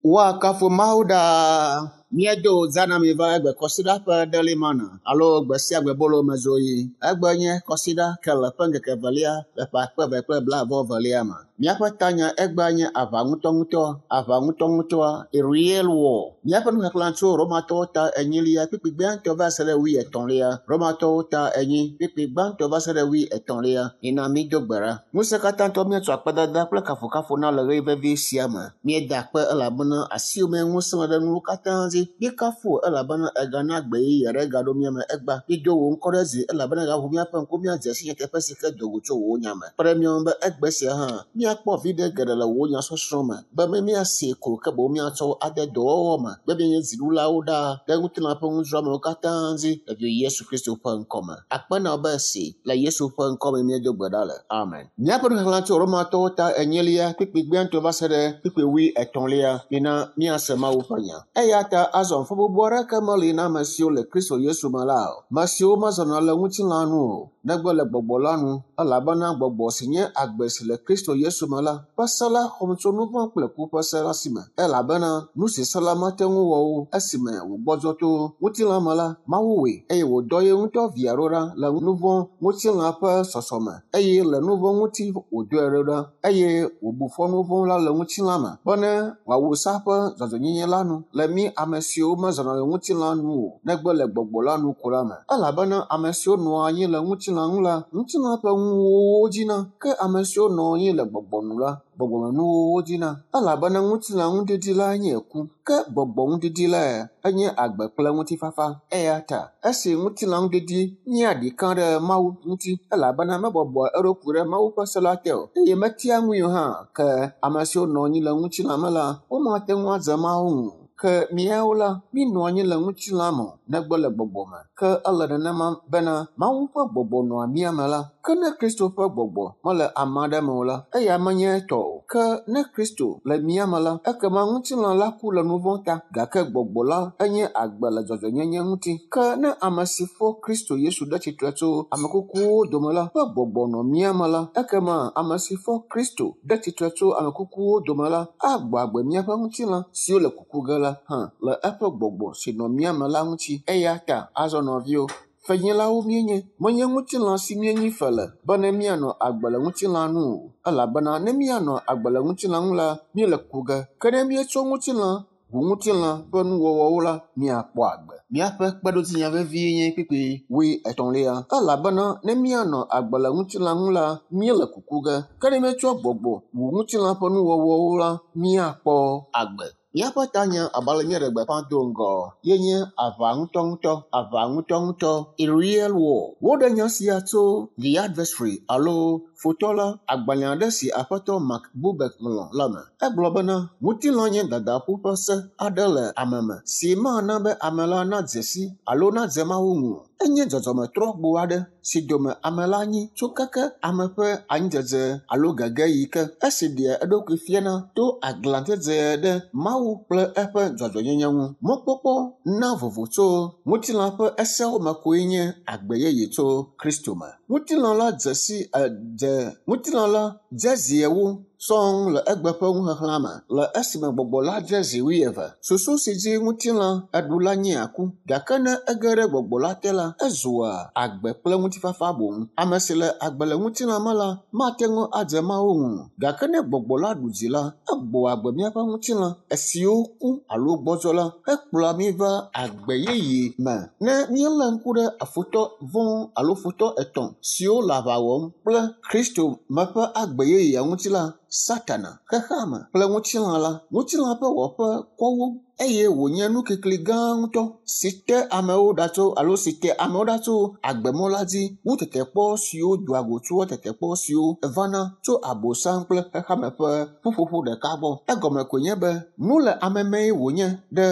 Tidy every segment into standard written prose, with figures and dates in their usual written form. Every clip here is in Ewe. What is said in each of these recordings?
Woakafu Mawu ɖaa. Míedo zã na mi va egbe kɔsiɖa ƒe Daily Manna alo gbe sia gbe bolo me zoɣi. Egbe nye kɔsiɖa ke le ƒe ŋkeke evelia le ƒe akpe eve kple blaeve-vɔ-evelia me. Míaƒe tanya egbea nye aʋa ŋutɔŋutɔ, aʋa ŋutɔŋutɔa, a real war. Míaƒe nuxexlẽ tso Romatɔwo ta enyilia kpukpui gbãtɔ va se ɖe wuietɔ̃lia. Romatɔwo ta enyi kpukpui gbãtɔ va se ɖe wuietɔ̃lia. Mina mído gbe ɖa. Ŋusẽkatãtɔ míetsɔ akpedada kple kafukafu na le ɣeyiɣi vevi sia me. Míeda akpe elabena asiwò mee ŋusẽ le ɖe nuwo katã dzi. Míekafu wò elabena ègana gbe yeye aɖe gaɖo mía me egbea. Mído wò ŋkɔ ɖe dzi elabena ègaʋu míaƒe ŋku míadze si nyateƒe si ke do go tso wò nya me. Kpe ɖe mía ŋu be egbe sia hã míakpɔ viɖe geɖe le wò nyasɔsrɔ̃ me be míasee ko ke boŋ míatsɔ wo ade dɔwɔwɔ me be míanye dziɖulawo ɖaa ɖe ŋutilã ƒe nudzroamewo katã dzi le Vio Yesu Kristo ƒe ŋkɔ me. Akpe na wò be esi le Yesu ƒe ŋkɔ me míedo gbe ɖa le. Amen. Míaƒe nuxexlẽ tso Romatɔwo ta enyilia kpukpui gbãtɔ va se ɖe kpukpui wuietɔ̃lia. Mina míase Mawu ƒe nya. Eya ta azɔ fɔbubu aɖeke meli na ame siwo le Kristo Yesu me la o. Ame siwo mezɔna le ŋutilã nu o, negbe le gbɔgbɔ la nu, elabena gbɔgbɔ si nye agbe si le Kristo Yesu me la ƒe se la xɔm tso nu vɔ̃ kple ku ƒe se la si me. Elabena nu si se la mate ŋu wɔ o esime wògbɔdzɔ to ŋutilã me la, Mawu wɔe eye wòdɔ ye ŋutɔ via ɖo ɖa le nu vɔ̃ ŋutilã ƒe sɔsɔme eye le nu vɔ̃ ŋuti wòdɔe ɖo ɖa eye wòbu fɔ nu vɔ̃ la le ŋutilã me bene wòawu sea ƒe dzɔdzɔenyenye la nu le mí ame siwo mezɔna le ŋutilã nu o negbe le gbɔgbɔ la nu ko la me. Elabena ame siwo nɔa anyi le ŋutilã ŋu la, ŋutilã ƒe nuwo dzina ke ame siwo nɔa anyi le gbɔgbɔ nu la, gbɔgbɔmenuwo wodzina. Elabena ŋutilã ŋudidi la nye ku, ke gbɔgbɔ ŋudidi lae enye agbe kple ŋutifafa. Eya ta esi ŋutilã ŋudidi nye aɖika ɖe Mawu ŋuti elabena mebɔbɔa eɖokui ɖe Mawu ƒe se la te o eye metia ŋui o hã, ke ame siwo nɔ anyi le ŋutilã me la, womate ŋu adze Mawu ŋu o. Ke míawo la, mínɔ anyi le ŋutilã me o, negbe le gbɔgbɔ me. Ke ele nenema bena Mawu ƒe gbɔgbɔ nɔa mía me la. Ke ne Kristo ƒe gbɔgbɔ mele ame aɖe me o la, eya menye etɔ o. Ke ne Kristo le mía me la, ekema ŋutilã la ku le nu vɔ̃ ta, gake gbɔgbɔ la enye agbe le dzɔdzɔenyenye ŋuti. Ke ne ame si fɔ Kristo Yesu ɖe tsitre tso ame kukuwo dome la ƒe gbɔgbɔ nɔ mía me la, ekema ame si fɔ Kristo ɖe tsitre tso ame kukuwo dome la agbɔ agbe míaƒe ŋutilã siwo le kuku ge la hã le eƒe gbɔgbɔ si nɔ mía me la ŋuti. Eya ta azɔ nɔviwo, fenyilawo míenye, menye ŋutilã si míenyi fe le bene míanɔ agbe le ŋutilã nu o. Elabena ne míanɔ agbe le ŋutilã ŋu la, míele ku ge. Ke ne míetsɔ ŋutilã ʋu ŋutilã ƒe nuwɔwɔwo la, míakpɔ agbe. Míaƒe kpeɖodzinya vevie nye kpukpui wuietɔ̃lia. Elabena ne míanɔ agbe le ŋutilã ŋu la, míele kuku ge. Ke ne míetsɔ gbɔgbɔ wu ŋutilã ƒe nuwɔwɔwo la, míakpɔ agbe. Míaƒe tanya abe ale míeɖe gbeƒã do ŋgɔ ye nye aʋa ŋutɔŋutɔ, aʋa ŋutɔŋutɔ, a real war. Woɖe nya sia tso The Adversary alo Futɔ la, agbalẽ aɖe si aƒetɔ Mark Bubeck ŋlɔ la me. Egblɔ bena ŋutilã nye dadaƒu ƒe se aɖe le ame me si mana be ame la nadze si alo nadze Mawu ŋu o. Enye dzɔdzɔmetrɔgbo aɖe si dome ame la nyi tso keke ame ƒe anyidzedze alo gege yi ke esi ɖea eɖokui fiana to aglãdzedze ɖe Mawu kple eƒe dzɔdzɔenyenye ŋu. Mɔkpɔkpɔ na vovo tso ŋutilã ƒe esewo me koe nye agbe yeye tso Kristo me. Ŋutilã la dze si dze ŋutilã la dze zi ewo sɔŋ le egbe ƒe nuxexlẽa me le esime gbɔgbɔ la dze zi wuieve. Susu si dzi ŋutilã eɖu la nyea ku, gake ne ege ɖe gbɔgbɔ la te la, ezua agbe kple ŋutifafa boŋ. Ame si le agbe le ŋutilã me la mate ŋu adze Mawu ŋu o, gake ne gbɔgbɔ la ɖu dzi la, egbɔa agbe míaƒe ŋutilã esiwo ku alo gbɔdzɔ la hekplɔa mí va agbe yeye me. Ne míelé ŋku ɖe futɔ vɔ̃ alo futɔ etɔ̃ siwo le aʋa wɔm kple Kristo me ƒe agbe yeyea ŋuti la, Satana, xexeame kple ŋutilã la, ŋutilã ƒe wɔƒe kɔ wu eye wònye nukikli gã ŋutɔ si te amewo ɖa tso alo si te amewo ɖa tso agbemɔ la dzi wu tetekpɔ siwo doa go tsoa tetekpɔ siwo vana tso Abosam kple xexeame ƒe ƒuƒoƒo ɖeka gbɔ. Egɔme koe nye be nu le ame mee wònye ɖe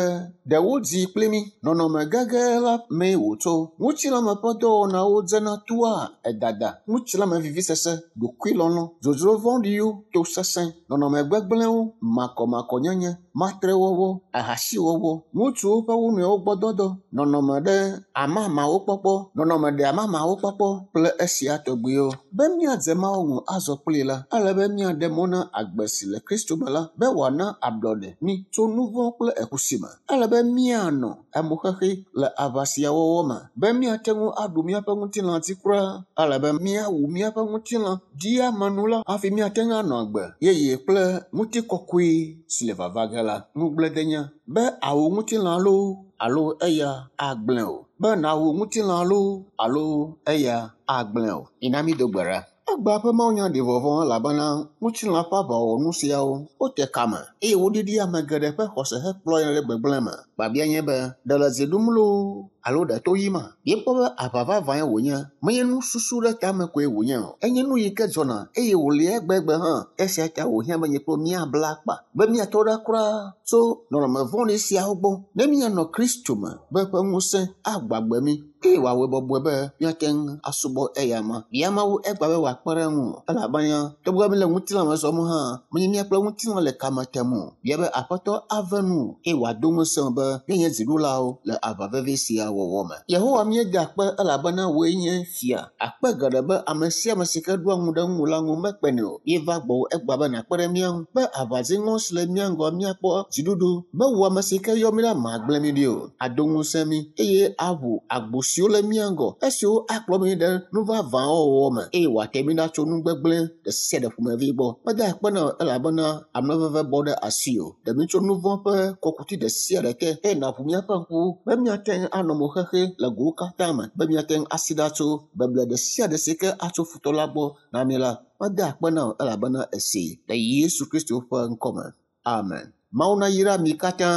ɖewo dzi kpli mí. Nɔnɔme gege la mee wòtso. Ŋutilãme ƒe dɔwɔnawo dzena toa edada, ŋutilãme vivisese, ɖokuilɔlɔ̃, dzodzro vɔ̃ɖiwo, tosesẽ, nɔnɔme gbegblẽwo, makɔmakɔnyenye, matrewɔwɔ, ahasiwɔwɔ, ŋutsuwo ƒe wo nɔewo gbɔ dɔdɔ, nɔnɔme ɖe amamawo kpɔkpɔ, nɔnɔme ɖe amamawo kpɔkpɔ kple esia tɔgbiwo. Be míadze Mawu ŋu azɔ kplii la, ele be míaɖe mɔ na agbe si le Kristo me la be wòana ablɔɖe mí tso nu vɔ̃ kple eku si me. Ele be míanɔ amoxexi le aʋa sia wɔwɔ me be míate ŋu aɖu míaƒe ŋutilã dzi kura. Ele be míawu míaƒe ŋutilã ɖiamenu la hafi míate ŋu anɔ agbe yeye kple ŋutikɔkɔe si le vava ge la. Ŋugbledenya be awu ŋutilã loo alo eya agblẽ o. Be nàwu ŋutilã loo alo eya agblẽ o. Mina mído gbe ɖa. Egbea ƒe mawunya ɖi vɔvɔ̃ elabena ŋutilã ƒe aʋawɔnu siawo wote kame eye woɖiɖi ame geɖe ƒe xɔse hekplɔ yina ɖe gbegblẽ me. Biabia nye be, ɖe le dzi ɖum loo alo ɖe to yima? Míekpɔ be aʋa vavãe wònye, menye nususu ɖe tame koe wònye o. Enye nu yi ke dzɔna eye wòli egbegbe hã. Esia ta wòhiã be nye kple wò míabla akpa be míatɔ ɖa kura tso nɔnɔme vɔ̃ɖi siawo gbɔ ne míanɔ Kristo me be eƒe ŋusẽ agbagbe mí eye wòawɔe bɔbɔe be míate ŋu asubɔ eyama. Bia Mawu egbea be wòakpe ɖe ŋuwò elabena togbɔ be míele ŋutilã me zɔm hã, menye mía kple ŋutilã le kame tem o. Bia be Aƒetɔ ave nuwò eye wòado ŋusẽ wò be míanye dziɖulawo le aʋa vevi sia wɔwɔ me. Yehowa míeda akpe elabena wòe nye fia. Akpe geɖe be ame sia ame si ke ɖoa ŋu ɖe ŋuwò la ŋu mekpenɛ o. Míeva gbɔwò egbea be nàkpe ɖe mía ŋu be aʋa dziŋɔ si le mía ŋgɔ míakpɔ dziɖuɖu be wò ame si ke yɔ mí la magblẽ mí ɖi o. Ado ŋusẽ mí eye aʋu agbo siwo le mía ŋgɔ esiwo akplɔ mí ɖe nu vavãwo wɔwɔ me eye wòate mí ɖa tso nu gbegblẽ ɖe sia ɖe ƒomevi gbɔ. Meda akpe na wò elabena amenuveve bɔ ɖe asiwò. Ɖe mí tso nu vɔ̃ ƒe kɔkuti ɖe sia ɖe te eye nàʋu míaƒe ŋkuwo be míate ŋu anɔ mo xexe le gowo katã me be míate ŋu asi ɖa tso beble ɖe sia ɖe si ke atso futɔ la gbɔ na mí la. Meda akpe na wò elabena èsee le Yesu Kristo ƒe ŋkɔme. Amen. Mawu nayra mi katã.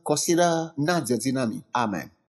Kɔsiɖa nadze dzi na mi. Amen.